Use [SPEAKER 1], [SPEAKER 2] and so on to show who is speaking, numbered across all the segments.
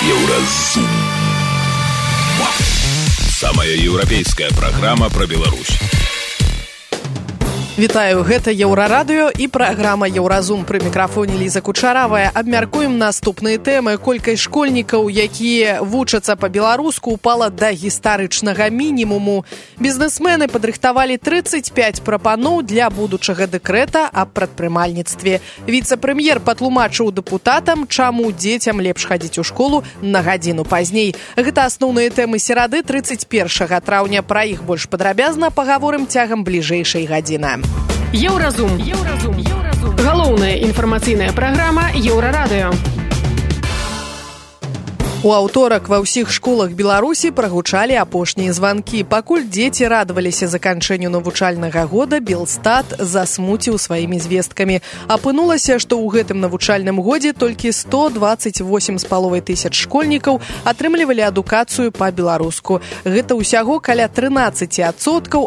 [SPEAKER 1] Еўразум. Самая еўрапейская праграма пра Беларусь.
[SPEAKER 2] Вітаю, гэта Еўрарадыё і праграма Еўразум. Пры мікрафоне Ліза Кучаравая. Абмяркуем наступныя тэмы. Колькасць школьнікаў, якія вучацца па-беларуску, упала да гістарычнага мінімуму. Бізнесмены падрыхтавалі 35 прапаноў для будучага дэкрэта аб прадпрымальніцтве. Віцэ-прэм'ер патлумачыў дэпутатам, чаму дзецям лепш хадзіць у школу на гадзіну пазней. Гэта асноўныя тэмы серады 31 траўня. Пра іх больш падрабязна пагаворым цягам бліжэйшай гадзіны.
[SPEAKER 3] Еўразум. Галоўная інфармацыйная праграма Еўрарадыё.
[SPEAKER 2] У аўторак ва ўсіх школах Беларусі прагучалі апошнія званкі. Пакуль дзеці радаваліся заканчэнню навучальнага года, Белстат засмуціў сваімі звесткамі. Апынулася, што ў гэтым навучальным годзе толькі 128,5 тысяч школьнікаў атрымлівалі адукацыю па-беларуску. Гэта ўсяго каля 13%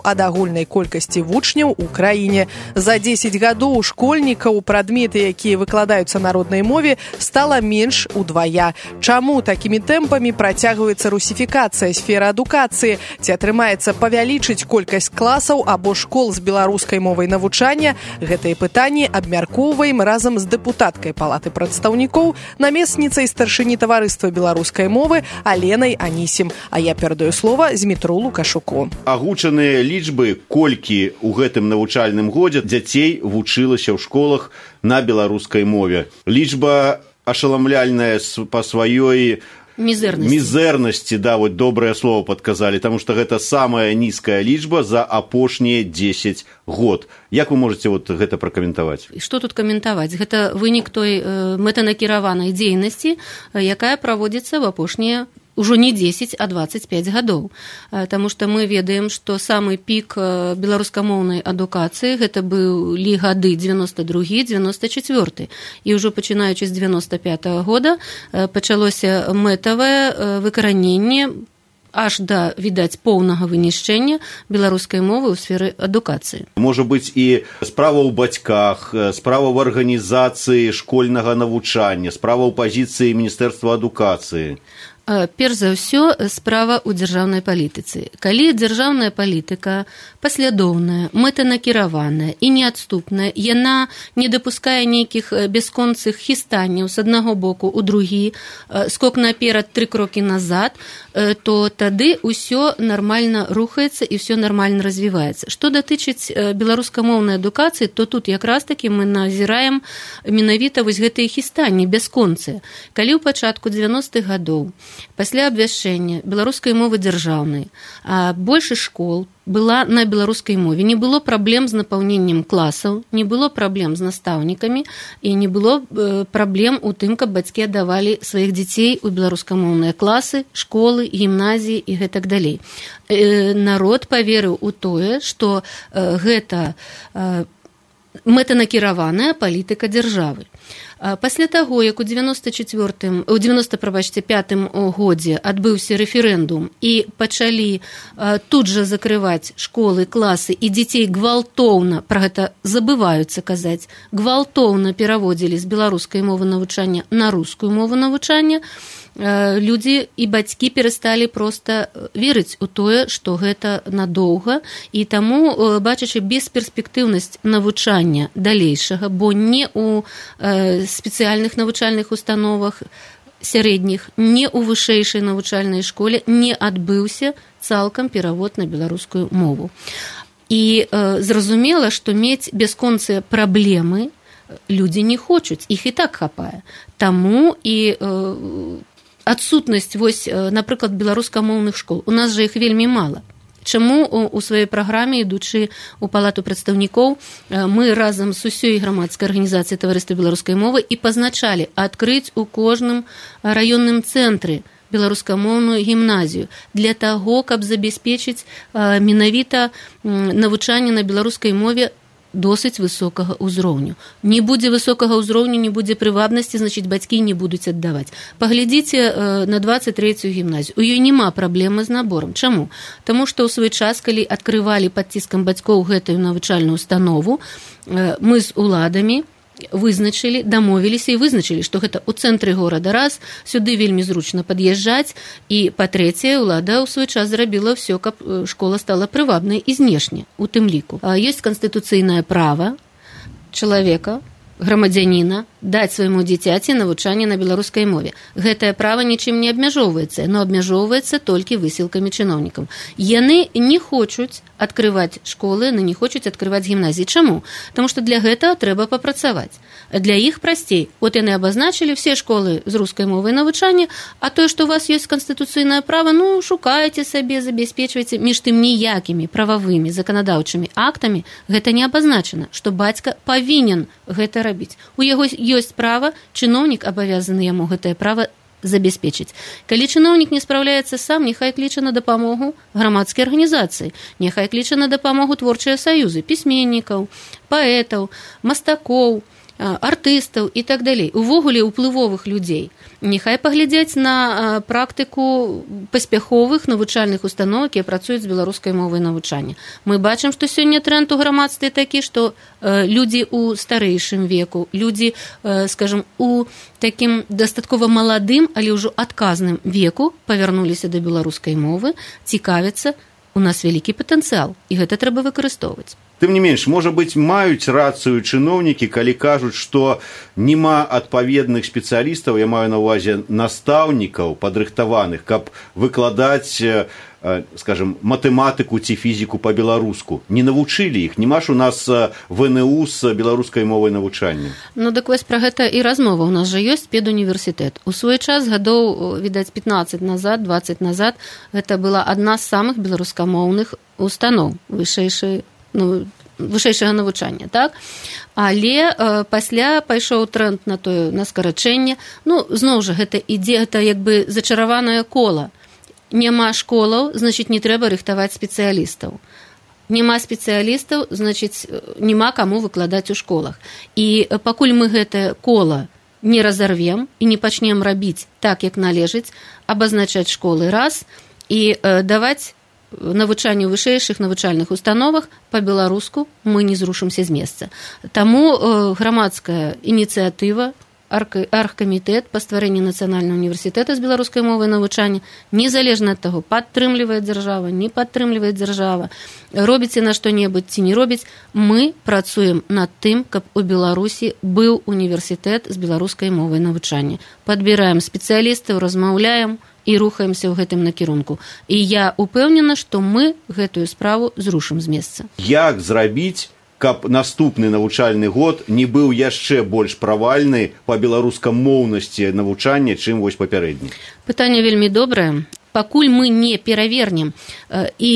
[SPEAKER 2] ад агульнай колькасці вучняў у краіне. За 10 гадоў школьнікаў прадметы, якія выкладаюцца на роднай мове, стала менш удвая. Чаму такімі тэмпамі працягваецца русіфікацыя сферы адукацыі? Ці атрымаецца павялічыць колькасць класаў або школ з беларускай мовай навучання? Гэтыя пытанні абмяркоўваем разам з дэпутаткай Палаты прадстаўнікоў, намесніцай старшыні таварыства беларускай мовы Аленай Анісім. А я перадаю слова Змітру Лукашуку.
[SPEAKER 4] Агучаныя лічбы, колькі ў гэтым навучальным годзе дзяцей вучылася ў школах на беларускай мове. Лічба ашаламляльная па сваёй мізэрнасці, да, вот добрае слово падказалі, таму што гэта самая нізкая лічба за апошнія 10 год. Як вы можаце вот гэта пракаментаваць?
[SPEAKER 5] Што тут каментаваць? Гэта вынік той мэтанакіраванай дзейнасці, якая праводзіцца ў апошнія ўжо не 10, а 25 гадоў. Таму што мы ведаем, што самы пік беларускамоўнай адукацыі гэта былі гады 92-94. І ўжо пачынаючы з 95-го года пачалося мэтавае выкараненне аж да, відаць, поўнага вынішчэння беларускай мовы ў сферы адукацыі.
[SPEAKER 4] Можа быць і справа ў бацьках, справа ў арганізацыі школьнага навучання, справа ў пазіцыі Міністэрства адукацыі.
[SPEAKER 5] Перш за ўсё, справа ў дзяржаўнай палітыцы. Калі дзяржаўная палітыка паслядоўная, мэтанакіраваная і неадступная, яна не дапускае нейкіх бясконцых хістанняў з аднаго боку ў другі, скок наперад, 3 крокі назад, то тады ўсё нармальна рухаецца і ўсё нармальна развіваецца. Што датычыць беларускамоўнай адукацыі, то тут якраз такі мы назіраем менавіта вось гэтыя хістанні бясконцыя. Калі ў пачатку 90-х гадоў пасля абвяшчэння беларускай мовы дзяржаўнай большасць школ была на беларускай мове, не было праблем з напаўненнем класаў, не было праблем з настаўнікамі і не было праблем у тым, каб бацькі аддавалі сваіх дзяцей у беларускамоўныя класы, школы, гімназіі і гэтак далей. Народ паверыў у тое, што гэта мэтанакіраваная палітыка дзяржавы. Пасля таго, як у 95-м годзе адбыўся рэферэндум і пачалі тут жа закрываць школы, класы, і дзяцей гвалтоўна, пра гэта забываюцца казаць, гвалтоўна пераводзілі з беларускай мовы навучання на рускую мову навучання, людзі і бацькі перасталі проста верыць у тое, што гэта надоўга, і таму, бачачы бесперспектыўнасць навучання далейшага, бо не ў спецыяльных навучальных установах сярэдніх, не ў вышэйшай навучальнай школе не адбыўся цалкам перавод на беларускую мову. І зразумела, што мець бясконцыя праблемы людзі не хочуць, іх і так хапае. Таму і адсутнасць, вось, напрыклад, беларускамоўных школ. У нас жа іх вельмі мала. Чаму у сваёй праграме, ідучы ў Палату прадстаўнікоў, мы разам з усёй грамадскай арганізацыяй таварыства беларускай мовы і пазначалі адкрыць у кожным раённым цэнтры беларускамоўную гімназію для таго, каб забяспечыць менавіта навучанне на беларускай мове досыць высокага ўзроўню. Не будзе высокага ўзроўню, не будзе прывабнасці, значыць, бацькі не будуць аддаваць. Паглядзіце на 23-ю гімназію. У ёй няма праблемы з наборам. Чаму? Таму што ў свой час, калі адкрывалі пад ціскам бацькоў гэтую навучальную установу, мы з уладамі вызначылі, дамовіліся і вызначылі, што гэта ў цэнтры горада раз, сюды вельмі зручна пад'язджаць, і, па-трэцяе, ўлада ў свой час зрабіла ўсё, каб школа стала прывабнай і знешне, у тым ліку. Ёсць канстытуцыйнае права чалавека, грамадзяніна, даць свайму дзіцяці навучанне на беларускай мове. Гэтае права нічым не абмяжоўваецца, но абмяжоўваецца толькі высілкамі чыноўнікам. Яны не хочуць адкрываць школы, яны не хочуць адкрываць гімназіі. Чаму? Таму што для гэтага трэба папрацаваць. Для іх прасцей. От яны абазначылі все школы з рускай мовай навучання, а тое, што у вас ёсць канстытуцыйнае права, шукайце сабе, забяспечвайце. Між тым ніякімі прававымі заканадаўчымі актамі гэта не абазначана, што бацька павінен гэта рабіць. У яго ёсць права, чыноўнік абавязаны яму гэтае права забяспечыць. Калі чыноўнік не спраўляецца сам, няхай кліча на дапамогу грамадскай арганізацыі, няхай кліча на дапамогу творчыя саюзы, пісьменнікаў, паэтаў, мастакоў, артыстаў і так далей. Увогуле ўплывовых людзей. Няхай паглядзяць на практыку паспяховых навучальных устаноў, якія працуюць з беларускай мовай навучання. Мы бачым, што сёння тренд у грамадстве такі, што людзі ў старэйшым веку, людзі, скажам, у такім дастаткова маладым, але ўжо адказным веку павярнуліся да беларускай мовы, цікавяцца, у нас вялікі патэнцыял, і гэта трэба выкарыстоўваць.
[SPEAKER 4] Тым не менш, можа быць, маюць рацыю чыноўнікі, калі кажуць, што няма адпаведных спецыялістаў, я маю на ўвазе настаўнікаў падрыхтаваных, каб выкладаць, скажем, матэматыку ці фізіку па-беларуску. Не навучылі іх, няма ж у нас ВНУ з беларускай мовай навучання.
[SPEAKER 5] Так вось пра гэта і размова. У нас жа ёсць педуніверсітэт. У свой час, гадоў, відаць, 15 назад, 20 назад, гэта была адна з самых беларускамоўных устаноў вышэйшага навучання, так? Але пасля пайшоў тренд на скарачэнне. Зноў жа, гэта ідзе, гэта як бы зачараванае кола. Няма школаў, значыць, не трэба рыхтаваць спецыялістаў. Няма спецыялістаў, значыць, няма каму выкладаць у школах. І пакуль мы гэтае кола не разарвем і не пачнем рабіць так, як належыць, абазначаць школы раз і даваць навучанне ў вышэйшых навучальных установах па-беларуску, мы не зрушымся з месца. Таму грамадская ініцыятыва, аргкамітэт па стварэнні нацыянальнага універсітэта з беларускай мовай навучання, незалежна ад таго, падтрымлівае дзяржава, не падтрымлівае дзяржава, робіць на што-небудзь ці не робіць, мы працуем над тым, каб у Беларусі быў універсітэт з беларускай мовай навучання. Падбіраем спецыялістаў, размаўляем і рухаемся ў гэтым накірунку. І я упэўнена, што мы гэтую справу зрушым з месца.
[SPEAKER 4] Як зрабіць, каб наступны навучальны год не быў яшчэ больш правальны па беларускамоўнасці навучання, чым вось папярэдні?
[SPEAKER 5] Пытанне вельмі добрае. Пакуль мы не перавернем і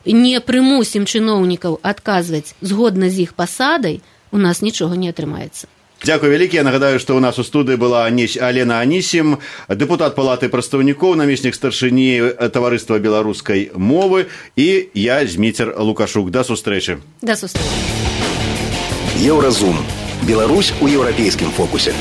[SPEAKER 5] не прымусім чыноўнікаў адказваць згодна з іх пасадай, у нас нічога не атрымаецца.
[SPEAKER 4] Дзякуй вялікі. Я нагадаю, што ў нас у студыі была Алена Анісім, дэпутат палаты прадстаўнікоў, намеснік старшыні таварыства беларускай мовы, і я, Зміцер Лукашук. Да сустрэчы.
[SPEAKER 5] Да сустрэчы.
[SPEAKER 6] Еўразум. Беларусь у еўрапейскім фокусе.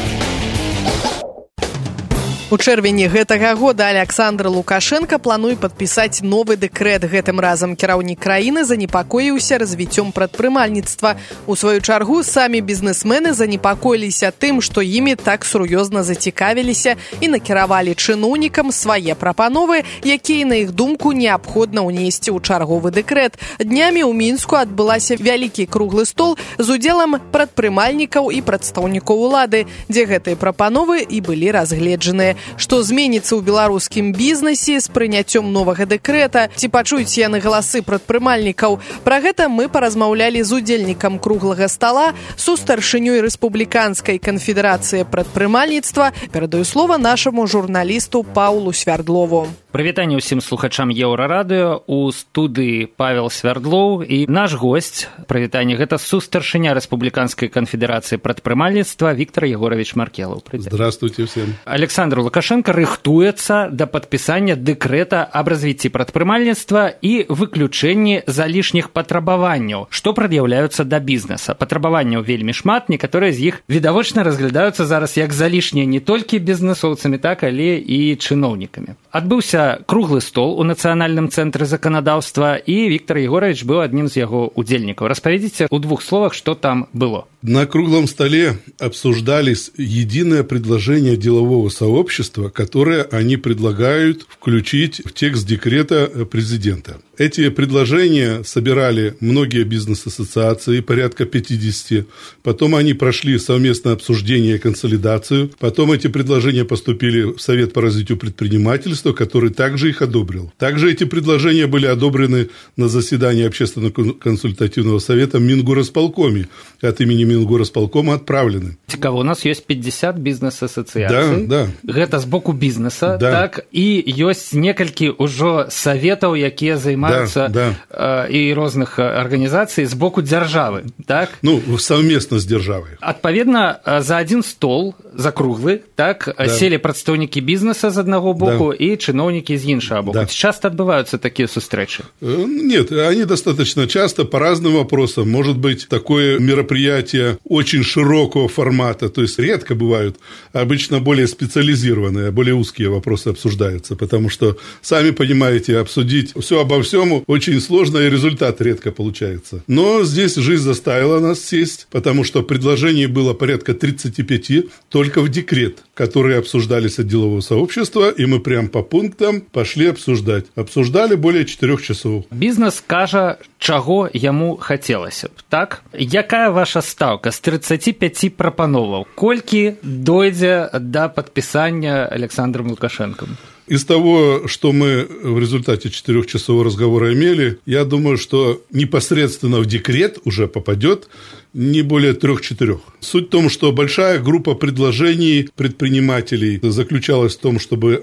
[SPEAKER 2] У чэрвені гэтага года Александр Лукашенко плануе падпісаць новы дэкрэт. Гэтым разам кіраўнік краіны занепакоіўся развіццём прадпрымальніцтва. У сваю чаргу самі бізнесмены занепакоіліся тым, што імі так сур'ёзна зацікавіліся і накіравалі чыноўнікам свае прапановы, якія, на іх думку, неабходна ўнесці ў чарговы дэкрэт. Днямі ў Мінску адбылася вялікі круглы стол з удзелам прадпрымальнікаў і прадстаўнікоў улады, дзе гэтыя прапановы і былі разгледжаныя. Што зменіцца ў беларускім бізнесе з прыняццём новага дэкрэта, ці пачуюць яны галасы прадпрымальнікаў. Пра гэта мы паразмаўлялі з удзельнікам круглага стала, сустаршынёй рэспубліканскай канфедэрацыі прадпрымальніцтва. Перадаю слова нашаму журналісту Паўлу Свярдлову.
[SPEAKER 7] Прывітанне ўсім слухачам Еўрарадыё. У студыі Павел Свярдлоў і наш госць. Прывітанне, гэта сустаршыня рэспубліканскай канфедэрацыі прадпрымальніцтва Віктор Егорович Маркелов.
[SPEAKER 8] Здравствуйте всем.
[SPEAKER 7] Александр Лукашенко рыхтуецца да падпісання дэкрэта аб развіцці прадпрымальніцтва і выключэнні залішніх патрабаванняў, што прад'яўляюцца да бізнеса. Патрабаванняў вельмі шмат, некаторыя з іх відавочна разглядаюцца зараз як залішнія не толькі бізнесоўцамі, так, але і чыноўнікамі. Адбыўся круглы стол у Нацыянальным цэнтры заканадаўства, і Віктор Егорович быў адным з яго удзельнікаў. Распавядзіце ў двух словах, што там было.
[SPEAKER 8] На круглом столе обсуждались единое предложение делового сообщества, которое они предлагают включить в текст декрета президента. Эти предложения собирали многие бизнес-ассоциации, порядка 50. Потом они прошли совместное обсуждение и консолидацию. Потом эти предложения поступили в Совет по развитию предпринимательства, который также их одобрил. Также эти предложения были одобрены на заседании Общественного консультативного совета Мингорисполкоме. От имени Мингорисполкома отправлены.
[SPEAKER 7] Цікаво, у нас ёсць 50 бізнес-асацыяцый.
[SPEAKER 8] Да.
[SPEAKER 7] Гэта з боку бізнеса,
[SPEAKER 8] да.
[SPEAKER 7] Так, і ёсць некалькі ўжо саветаў, якія займаюцца і розных арганізацый з боку дзяржавы, так?
[SPEAKER 8] Ну, совместно з дзяржавай.
[SPEAKER 7] Адпаведна, за один стол, за круглы, так, селі прадстаўнікі бізнеса з аднаго боку і чыноўнікі з іншага боку. Часто адбываюцца такія сустрэчы?
[SPEAKER 8] Нет, они достаточно часто по разным вопросам. Может быть, такое мероприятие очень широкого формата, то есть редко бывают, обычно более специализированные, более узкие вопросы обсуждаются, потому что, сами понимаете, обсудить все обо всем очень сложно, и результат редко получается. Но здесь жизнь заставила нас сесть, потому что предложений было порядка 35 только в декрет, которые обсуждались от делового сообщества, и мы прям по пунктам пошли обсуждать. Обсуждали более 4 часов.
[SPEAKER 7] Бізнес кажа, чаго яму хацелася б, так? Якая ваша стаўка з 35 прапановаў? Колькі дойдзе да падпісання Александром Лукашенком?
[SPEAKER 8] Из того, что мы в результате 4-часового разговора имели, я думаю, что непосредственно в декрет уже попадет не более 3-4. Суть в том, что большая группа предложений предпринимателей заключалась в том, чтобы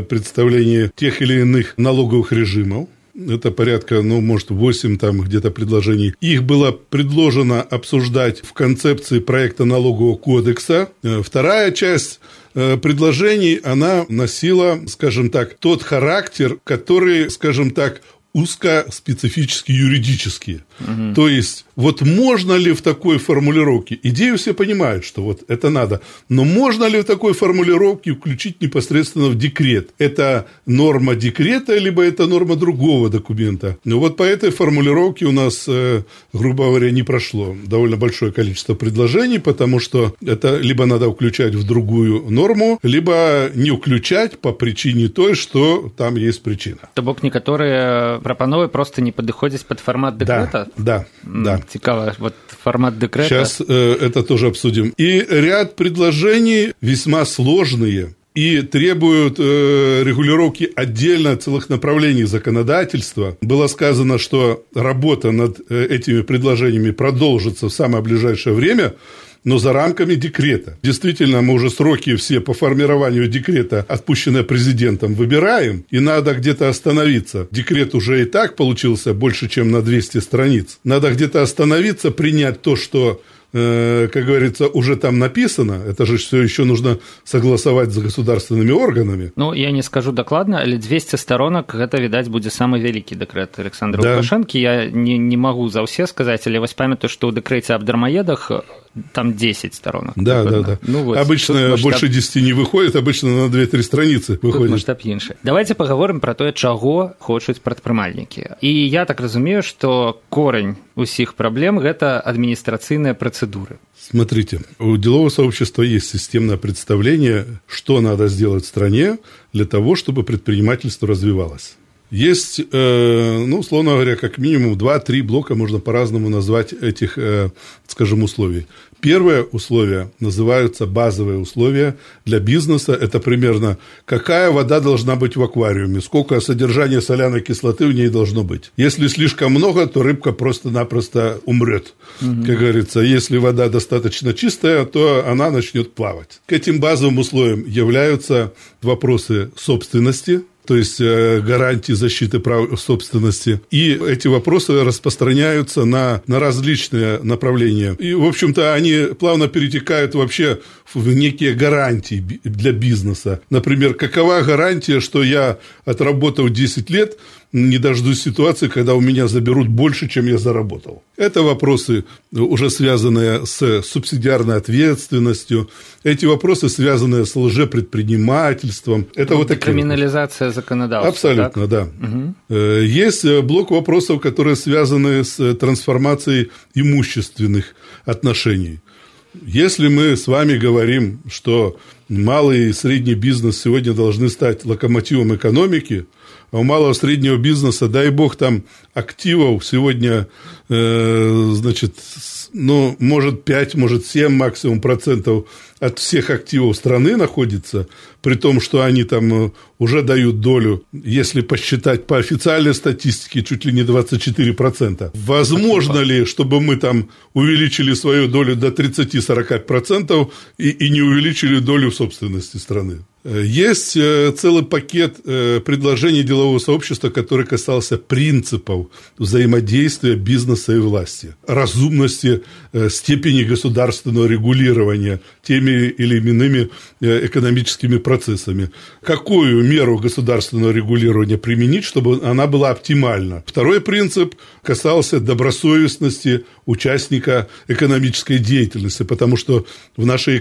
[SPEAKER 8] представление тех или иных налоговых режимов, это порядка, может, 8 там где-то предложений. Их было предложено обсуждать в концепции проекта налогового кодекса. Вторая часть предложений, она носила, скажем так, тот характер, который, скажем так, узкоспецифически юридические. То есть, вот можно ли в такой формулировке, идею все понимают, что вот это надо, но можно ли в такой формулировке включить непосредственно в декрет? Это норма декрета, либо это норма другого документа? Ну вот по этой формулировке у нас, грубо говоря, не прошло довольно большое количество предложений, потому что это либо надо включать в другую норму, либо не включать по причине той, что там есть причина.
[SPEAKER 7] То бок некоторые прапановы просто не падыходзяць под формат декрета?
[SPEAKER 8] Да.
[SPEAKER 7] Цікаво, вот формат декрета.
[SPEAKER 8] Сейчас это тоже обсудим. И ряд предложений весьма сложные и требуют регулировки отдельно целых направлений законодательства. Было сказано, что работа над этими предложениями продолжится в самое ближайшее время, но за рамками декрета. Действительно, мы уже сроки все по формированию декрета, отпущенные президентом, выбираем, и надо где-то остановиться. Декрет уже и так получился больше, чем на 200 страниц. Надо где-то остановиться, принять то, что, как говорится, уже там написано. Это же все еще нужно согласовать с государственными органами.
[SPEAKER 7] Ну, я не скажу докладно, але 200 сторонок, гэта, відаць, будзе самы вялікі дэкрэт Александра Лукашенко. Я не могу за ўсе сказаць, але вось памятаю, што ў дэкрэце аб дармаедах там 10 сторонок.
[SPEAKER 8] Да.
[SPEAKER 7] Ну, вот,
[SPEAKER 8] обычно больше 10 не выходит, обычно на 2-3 страницы выходит.
[SPEAKER 7] Тут масштаб іншы. Давайте поговорим про тое, чаго хочуць прадпрымальнікі. І я так разумею, што корень усіх праблем – гэта адміністрацыйныя працэдуры.
[SPEAKER 8] Смотрите, у делового сообщества есть системное представление, что надо сделать в стране для того, чтобы предпринимательство развивалось. Есть, условно говоря, как минимум 2-3 блока, можно по-разному назвать этих, скажем, условий. Первое условие называются базовые условия для бизнеса. Это примерно какая вода должна быть в аквариуме, сколько содержания соляной кислоты в ней должно быть. Если слишком много, то рыбка просто-напросто умрет. Как говорится, если вода достаточно чистая, то она начнет плавать. К этим базовым условиям являются вопросы собственности, то есть гарантии защиты прав собственности. И эти вопросы распространяются на различные направления. И, в общем-то, они плавно перетекают вообще в некие гарантии для бизнеса. Например, какова гарантия, что я, отработав 10 лет, не дождусь ситуации, когда у меня заберут больше, чем я заработал. Это вопросы, уже связанные с субсидиарной ответственностью, эти вопросы, связанные с лжепредпринимательством. Это вот такие
[SPEAKER 7] криминализация законодательства.
[SPEAKER 8] Абсолютно, так? Да. Угу. Есть блок вопросов, которые связаны с трансформацией имущественных отношений. Если мы с вами говорим, что малый и средний бизнес сегодня должны стать локомотивом экономики, а у малого и среднего бизнеса, дай бог, там активов сегодня, значит, ну, может 5, может 7 максимум процентов от всех активов страны находится, при том, что они там уже дают долю, если посчитать по официальной статистике, чуть ли не 24%. Возможно ли, чтобы мы там увеличили свою долю до 30-40% и не увеличили долю собственности страны? Есть целый пакет предложений делового сообщества, который касался принципов взаимодействия бизнеса и власти, разумности степени государственного регулирования теми или иными экономическими процессами. Какую меру государственного регулирования применить, чтобы она была оптимальна? Второй принцип касался добросовестности участника экономической деятельности, потому что в нашей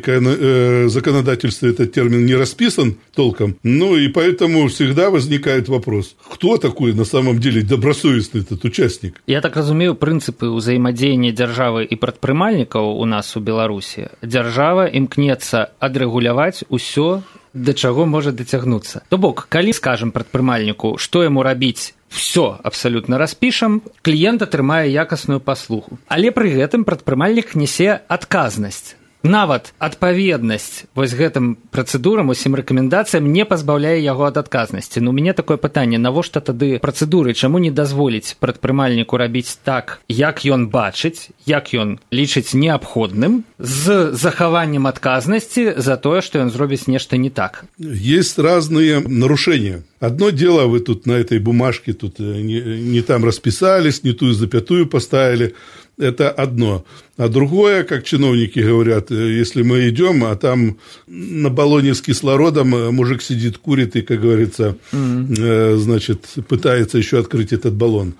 [SPEAKER 8] законодательстве этот термин не расписан толком, ну и поэтому всегда возникает вопрос, кто такой на самом деле добросовестный этот участник?
[SPEAKER 7] Я так разумею, прынцыпы ўзаемадзеяння дзяржавы і прадпрымальнікаў у нас у Беларусі. Дзяржава імкнецца адрэгуляваць усё, да чаго можа дацягнуцца. То бок, калі скажам прадпрымальніку, што яму рабіць, все абсалютна распішам, кліент атрымае якасную паслугу. Але пры гэтым прадпрымальнік нясе адказнасць. Нават адпаведнасць вось гэтым працэдурам, усім рэкамендацыям не пазбаўляе яго ад адказнасці. Ну, у мяне такое пытанне, навошта тады працэдуры, чаму не дазволіць прадпрымальніку рабіць так, як ён бачыць, як ён лічыць неабходным, з захаваннем адказнасці за тое, што ён зробіць нешта не так?
[SPEAKER 8] Есть разные нарушения. Одно дело, вы тут на этой бумажке тут не там расписались, не ту запятую поставили. Это одно. А другое, как чиновники говорят, если мы идем, а там на баллоне с кислородом мужик сидит, курит и, как говорится, значит, пытается еще открыть этот баллон,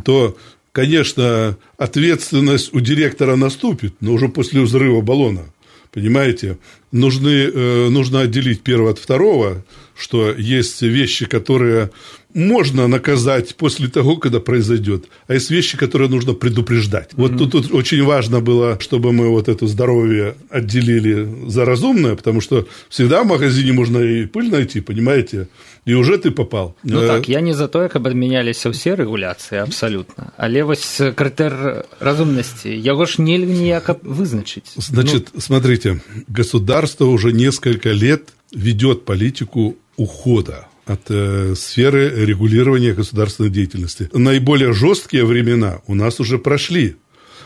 [SPEAKER 8] то, конечно, ответственность у директора наступит, но уже после взрыва баллона. Понимаете? Нужно отделить первое от второго, что есть вещи, которые можно наказать после того, когда произойдет, а есть вещи, которые нужно предупреждать. Вот тут очень важно было, чтобы мы вот это здоровье отделили за разумное, потому что всегда в магазине можно и пыль найти, понимаете, и уже ты попал.
[SPEAKER 7] Ну так, я не за то, каб адмяняліся ўсе рэгуляцыі, абсалютна. Але вось крытэр разумнасці, яго ж нельга ніяк вызначыць.
[SPEAKER 8] Значит, смотрите, государство уже несколько лет ведет политику ухода от сферы регулирования государственной деятельности. Наиболее жесткие времена у нас уже прошли.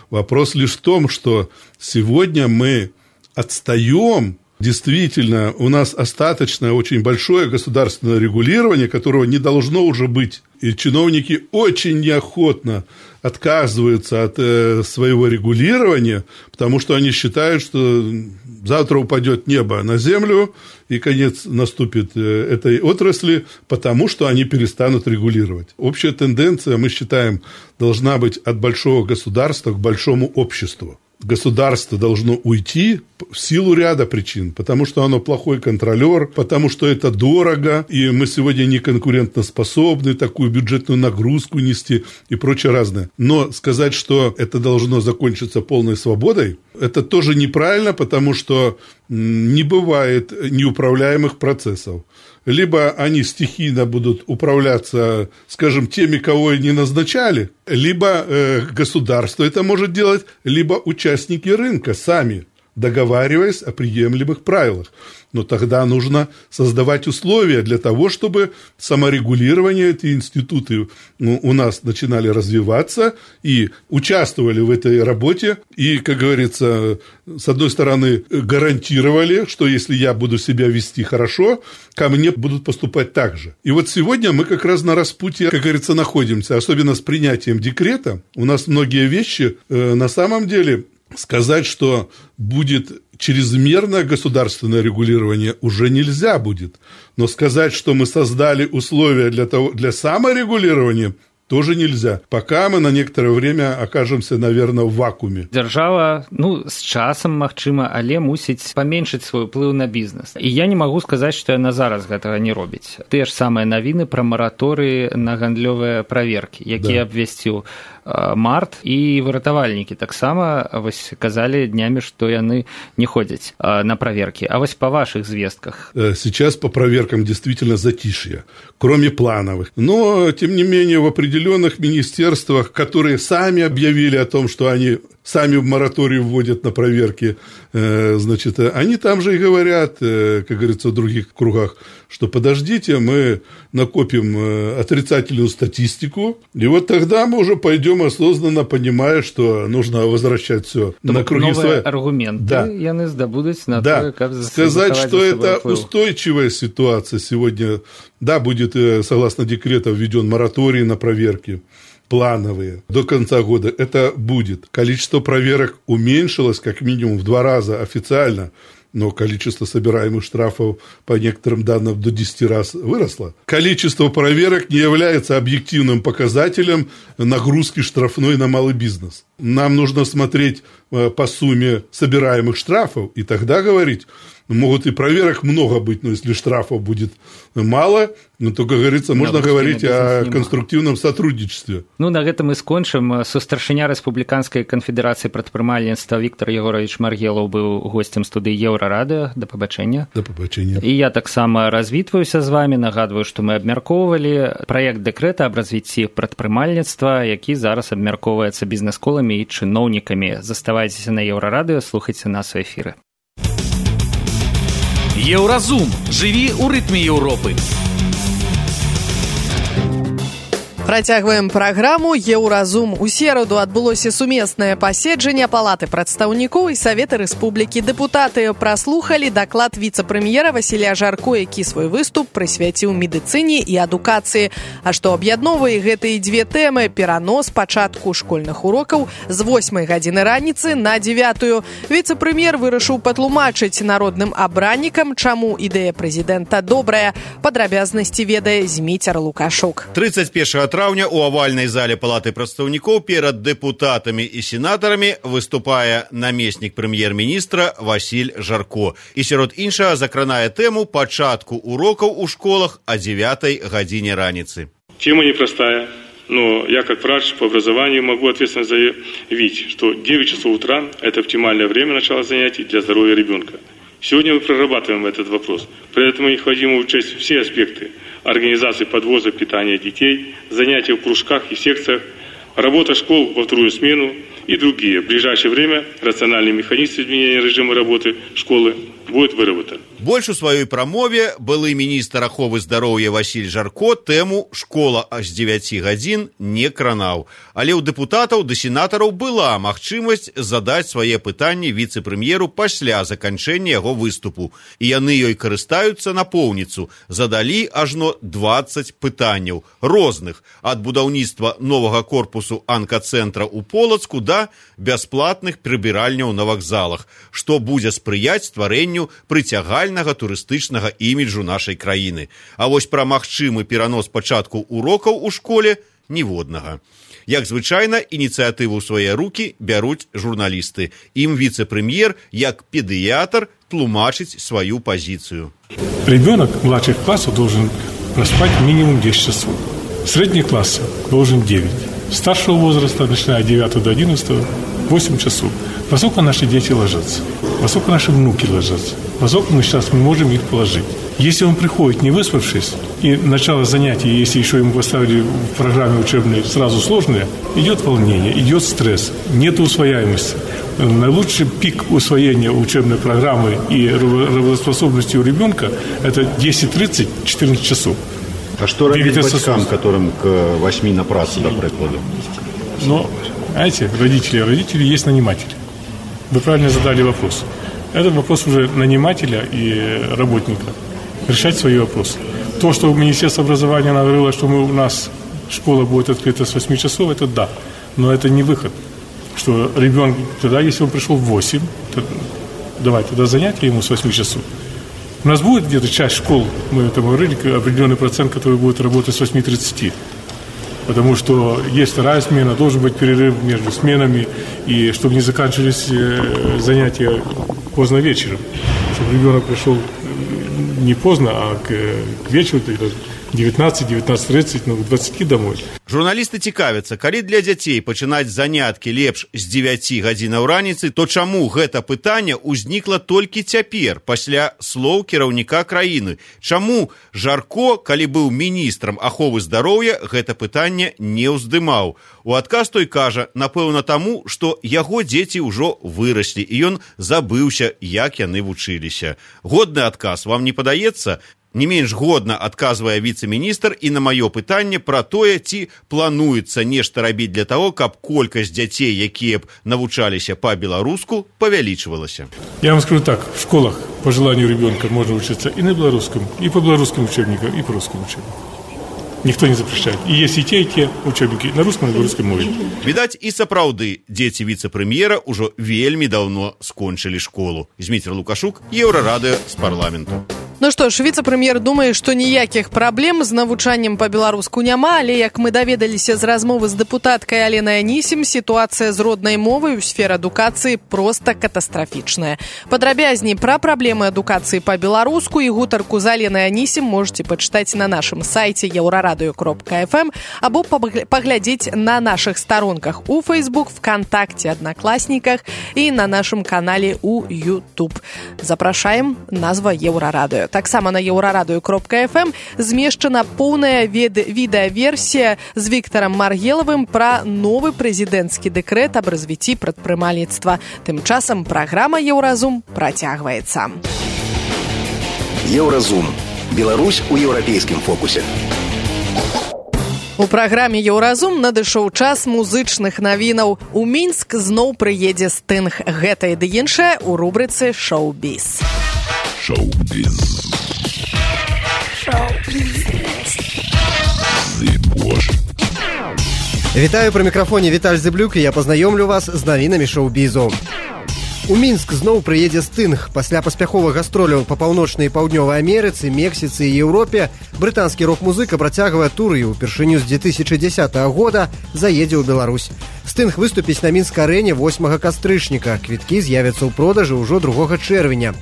[SPEAKER 8] Вопрос лишь в том, что сегодня мы отстаем. Действительно, у нас остаточное очень большое государственное регулирование, которого не должно уже быть. И чиновники очень неохотно отказываются от своего регулирования, потому что они считают, что завтра упадет небо на землю, и конец наступит этой отрасли, потому что они перестанут регулировать. Общая тенденция, мы считаем, должна быть от большого государства к большому обществу. Государство должно уйти в силу ряда причин, потому что оно плохой контролер, потому что это дорого, и мы сегодня не конкурентоспособны такую бюджетную нагрузку нести и прочее разное. Но сказать, что это должно закончиться полной свободой, это тоже неправильно, потому что не бывает неуправляемых процессов. Либо они стихийно будут управляться, скажем, теми, кого и не назначали, либо государство это может делать, либо участники рынка сами, договариваясь о приемлемых правилах. Но тогда нужно создавать условия для того, чтобы саморегулирование, эти институты у нас начинали развиваться и участвовали в этой работе. И, как говорится, с одной стороны, гарантировали, что если я буду себя вести хорошо, ко мне будут поступать так же. И вот сегодня мы как раз на распутье, как говорится, находимся, особенно с принятием декрета. У нас многие вещи на самом деле... Сказать, что будет чрезмерное государственное регулирование уже нельзя будет. Но сказать, что мы создали условия для саморегулирования, тоже нельзя. Пока мы на некоторое время окажемся, наверное, в вакууме.
[SPEAKER 7] Дзяржава, з часам, магчыма, але мусіць паменшыць свой ўплыў на бізнес. І я не магу сказаць, што яна зараз гэтага не робіць. Тыя ж самыя навіны пра мараторыі на гандлёвыя праверкі, якія абвясціў март, і выратавальнікі таксама казалі днямі, што яны не ходзяць на праверкі. А вось па вашых звестках?
[SPEAKER 8] Сейчас по проверкам действительно затишье, кроме плановых. Но, тем не менее, в определенных министерствах, которые сами объявили о том, что они сами в мораторий вводят на проверки, значит, они там же и говорят, как говорится, в других кругах, что подождите, мы накопим отрицательную статистику, и вот тогда мы уже пойдем осознанно, понимая, что нужно возвращать все на круги свои.
[SPEAKER 7] Аргументы,
[SPEAKER 8] да.
[SPEAKER 7] Яны здобудуць на
[SPEAKER 8] да.
[SPEAKER 7] то, как
[SPEAKER 8] сказать, что это устойчивая ситуация сегодня. Да, будет, согласно декрету, введен мораторий на проверки плановые до конца года. Это будет. Количество проверок уменьшилось как минимум в 2 раза официально, но количество собираемых штрафов по некоторым данным до 10 раз выросло. Количество проверок не является объективным показателем нагрузки штрафной на малый бизнес. Нам нужно смотреть по сумме собираемых штрафов, и тогда говорить, могут и проверок много быть, но если штрафов будет мало, то, как говорится, можно говорить о конструктивном сотрудничестве.
[SPEAKER 7] На гэтым і скончым. Сустаршыня Рэспубліканскай канфедэрацыі прадпрымальніцтва Віктор Егорович Маргелаў быў госцем студыі Еўрарадыё. Да пабачэння.
[SPEAKER 8] Да пабачэння.
[SPEAKER 7] І я таксама развітваюся з вами, нагадваю, што мы абмяркоўвалі праект дэкрэта аб развіцці прадпрымальніцтва, які зараз абмяркоўваецца бізнэс-коламі і чыноўнікамі. Заставайцеся на Еўрарадыё, слухайце нас у эфіры.
[SPEAKER 1] Еўразум. Жыві ў рытме Еўропы.
[SPEAKER 2] Працягваем праграму «Еўразум». У сераду адбылося сумеснае паседжанне Палаты прадстаўнікоў і Савета Рэспублікі. Дэпутаты праслухалі даклад віцэ-прэм'ера Васіля Жарко, які свой выступ прысвяціў медыцыне і адукацыі. А што аб'ядноўвае гэтыя 2 тэмы – перанос пачатку школьных урокаў з 8 гадзіны раніцы на 9. Віцэ-прэм'ер вырашыў патлумачыць народным абраннікам, чаму ідэя прэзідэнта добрая. Падрабязнасці ведае Зміцер Лукашук.
[SPEAKER 4] 31 траўня у авальнай зале Палаты прадстаўнікоў перад дэпутатамі і сенатарамі выступае намеснік прэм'ер-міністра Васіль Жарко. І сярод іншага закранае тэму пачатку урокаў у школах о 9 гадзине раніцы.
[SPEAKER 9] Тема непростая, но я как врач по образованию могу ответственно заявить, что 9 часов утра – это оптимальное время начала занятий для здоровья ребенка. Сегодня мы прорабатываем этот вопрос. При этом необходимо учесть все аспекты организации подвоза питания детей, занятия в кружках и секциях, работа школ во вторую смену и другие. В ближайшее время рациональный механизм изменения режима работы школы будет выработан.
[SPEAKER 4] Больш у сваёй прамове былы міністр аховы здароўя Васіль Жарко тэму «Школа аж 9 гадзін» не кранаў. Але ў дэпутатаў да сенатараў была магчымасць задаць свае пытанні віцэ-прэм'еру пасля заканчэння яго выступу. І яны ёй карыстаюцца напоўніцу. Задалі ажно 20 пытанняў розных, ад будаўніцтва новага корпусу анкацэнтра ў Полацку да бясплатных прыбіральняў на вакзалах, што будзе спрыяць стварэнню прыцягальнага турыстычнага іміджу нашай краіны. А вось пра магчымы перанос пачатку урокаў у школе ніводнага. Як звычайна, ініцыятыву ў свае рукі бяруць журналісты. Ім віцэ-прэм'ер, як педыятр, тлумачыць сваю позицию.
[SPEAKER 10] Ребенок младших классов должен проспать минимум 10 часов. Средний класс должен 9. Старшего возраста, начиная от 9 до 11, 8 часов. Поскольку наши дети ложатся, поскольку наши внуки ложатся, поскольку мы сейчас не можем их положить. Если он приходит не выспавшись, и начало занятий, если еще ему поставили в программе учебной сразу сложное, идет волнение, идет стресс, нет усвояемости. Наилучший пик усвоения учебной программы и работоспособности у ребенка – это 10-30-14 часов.
[SPEAKER 4] А что робить батькам, которым к 8 на працу, до прикладу?
[SPEAKER 10] Но, знаете, родители есть наниматели. Вы правильно задали вопрос. Этот вопрос уже нанимателя и работника. Решать свои вопросы. То, что Министерство образования говорило, что у нас школа будет открыта с 8 часов, это да. Но это не выход. Что ребенок, тогда, если он пришел в 8, давать туда занятия ему с 8 часов. У нас будет где-то часть школ, мы это говорили, определенный процент, который будет работать с 8:30. Потому что есть вторая смена, должен быть перерыв между сменами, и чтобы не заканчивались занятия поздно вечером. Чтобы ребенок пришел не поздно, а к вечеру, 19:30, к 20 домой.
[SPEAKER 4] Журналісты цікавяцца, калі для дзяцей пачынаць заняткі лепш з 9 гадзінаў раніцы, то чаму гэта пытанне ўзнікла толькі цяпер, пасля слоў кіраўніка краіны? Чаму Жарко, калі быў міністрам аховы здароўя, гэта пытанне не ўздымаў? У адказ той кажа, напэўна таму, што яго дзеці ўжо выраслі, і ён забыўся, як яны вучыліся. Годны адказ вам не падаецца? Не менш годна адказвае віцэ-міністр і на маё пытанне пра тое, ці плануецца нешта рабіць для таго, каб колькасць дзяцей, якія б навучаліся па-беларуску, павялічвалася.
[SPEAKER 10] Я вам скажу так, в школах по желанию ребенка можно учиться и на белорусском, и по белорусским учебникам, и по русским учебникам. Никто не запрещает. И есть и те учебники на русском и на белорусском мове.
[SPEAKER 4] Відаць, і сапраўды, дзеці віцэ-прэм'ера ўжо вельмі даўно скончылі школу. Зміцер Лукашук, Еўрарадыё з парламенту.
[SPEAKER 2] Ну што ж, віцэ-прэм'ер думае, што ніякіх праблем з навучаннем па-беларуску няма, але, як мы даведаліся з размовы з дэпутаткай Аленай Анісім, сітуацыя з роднай мовай у сферы адукацыі проста катастрафічная. Падрабязней пра праблемы адукацыі па-беларуску і гутарку з Аленай Анісім можете пачытаць на нашым сайце euraradио.fm або паглядзець на нашых старонках у Facebook, ВКонтакте, Одноклассниках і на нашым канале у YouTube. Запрашаем, назва Еўрарадыё. Таксама на euraradио.fm змешчана поўная відэаверсія з Віктарам Маргелавым пра новы прэзідэнцкі дэкрэт аб развіцці прадпрымальніцтва. Тым часам праграма Еўразум працягваецца.
[SPEAKER 6] Еўразум. Беларусь у еўрапейскім фокусе.
[SPEAKER 2] У праграме Еўразум надышоў час музычных навінаў. У Мінск зноў прыедзе Стынг. Гэта і ды іншае ў рубрыцы «Шоу-біз».
[SPEAKER 11] Шоу-біз.
[SPEAKER 12] Вітаю, пры мікрафоне Віталь Зыблюк, і я пазнаёмлю вас з навінамі шоу-бізу. У Мінск зноў прыедзе Стынг. Пасля паспяховых гастроляў па паўночнай і паўднёвай Амерыцы, Мексіцы і Еўропе брытанскі рок-музыка працягвае тур і ўпершыню з 2010 года заедзе ў Беларусь. Стынг выступіць на Мінск-арэне 8 кастрычніка. Квіткі з'явяцца ў продажы ўжо 2 чэрвеня.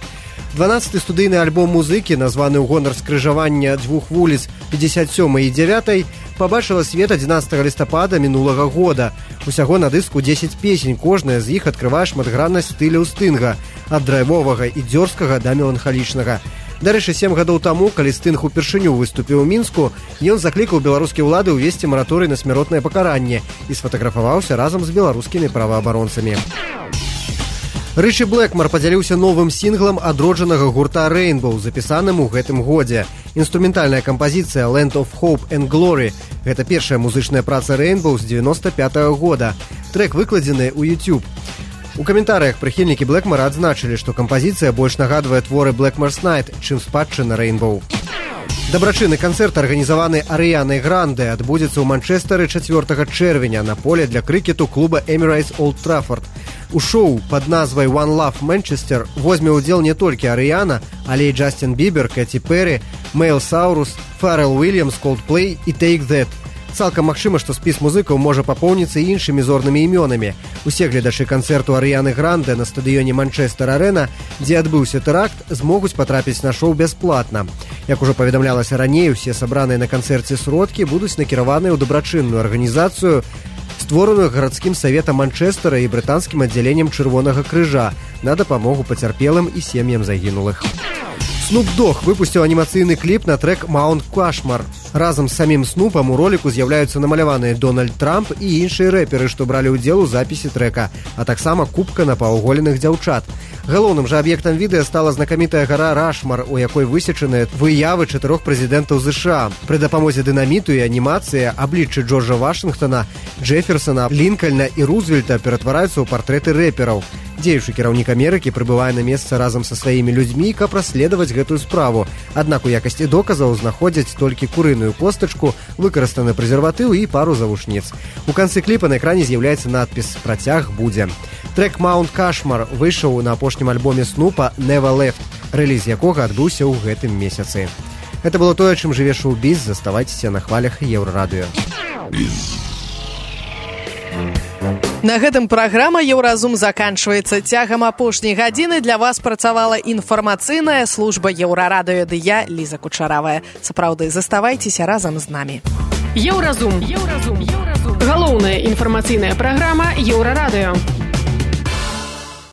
[SPEAKER 12] 12-й студыйны альбом музыкі, названы ў гонар скрыжавання дзвюх вуліц 57 і 9, пабачыла свет 11 лістапада мінулага года. Усяго на дыску 10 песень, кожная з іх адкрывае шматграннасць стыляў Стынга, ад драйвовага і дзёрзкага да меланхалічнага. Дарэчы, 7 гадоў таму, калі Стынг упершыню выступіў у Мінску, ён заклікаў беларускія ўлады ўвесці мараторый на смяротнае пакаранне і сфатаграфаваўся разам з беларускімі праваабаронцамі. Рычі Блэкмар падзяліўся новым сінглам адроджанага гурта Rainbow, запісаным у гэтым годзе. Інструментальная кампазіцыя «Land of Hope and Glory» – гэта першая музычная праца Rainbow з 95-го года. Трэк выкладзены ў YouTube. У каментарыях прыхільнікі Блэкмара адзначылі, што кампазіцыя больш нагадвае творы Blackmore's Night, чым спадчына Rainbow. Дабрачынны канцэрт, арганізаваны Арыянай Гранде, адбудзецца ў Манчестары 4 чэрвеня на поле для крыкету клуба Emirates Old Trafford. У шоу пад назвай «One Love Manchester» возьме ўдзел не толькі Арыяна, але і Джастин Бібер, Кэти Перри, Мэйл Саурус, Фаррел Уильямс, Coldplay і Take That. Цалкам магчыма, што спіс музыкаў можа папоўніцца і іншымі зорнымі імёнамі. Усе гледачы канцэрту Арыяны Гранде на стадыёне Манчестер-Арэна, дзе адбыўся тэракт, змогуць патрапіць на шоу бясплатна. Як ужо паведамлялася раней, усе сабраныя на канцэрце сродкі будуць накіраваныя ў дабрачынную арганізацыю, створаную гарадскім саветам Манчестера і брытанскім аддзяленнем Чырвонага крыжа на дапамогу пацярпелым і сем'ям загінулых. Snoop Dogg выпусціў анімацыйны кліп на трэк «Маунт Кашмар». Разам з самім Снупам у роліку з'яўляюцца намаляваныя Дональд Трамп і іншыя рэперы, што бралі ўдзел у запісе трэка, а таксама купка напаўголеных дзяўчат. Галоўным жа аб'ектам відэа стала знакамітая гара Рашмар, у якой высечаныя выявы 4 прэзідэнтаў США. Пры дапамозе дынаміту і анімацыі абліччы Джорджа Вашынгтона, Джэферсона, Лінкальна і Рузвельта ператвараюцца ў партрэты рэпераў. Дзеючы кіраўнік Амерыкі прыбывае на месца разам са сваімі людзьмі, каб расследаваць гэтую справу. Аднак у якасці доказаў знаходзяць толькі курыную костачку, выкарыстаны прэзерватыў і пару завушніц. У канцы кліпа на экране з'яўляецца надпіс «Працяг будзе». Трэк «Маунт Кашмар» выйшаў на апошнім альбоме Снупа «Never Left», рэліз якога адбыўся ў гэтым месяцы. Гэта было тое, чым жыве шоу-біз. Заставайцеся на хвалях Еўрарадыё.
[SPEAKER 2] На гэтым праграма «Еўразум» заканчваецца. Цягам апошняй гадзіны для вас працавала інфармацыйная служба Еўрарадыё, ды я, Ліза Кучаравая. Сапраўды, заставайцеся разам з намі.
[SPEAKER 3] Еўразум. Галоўная інфармацыйная праграма Еўрарадыё.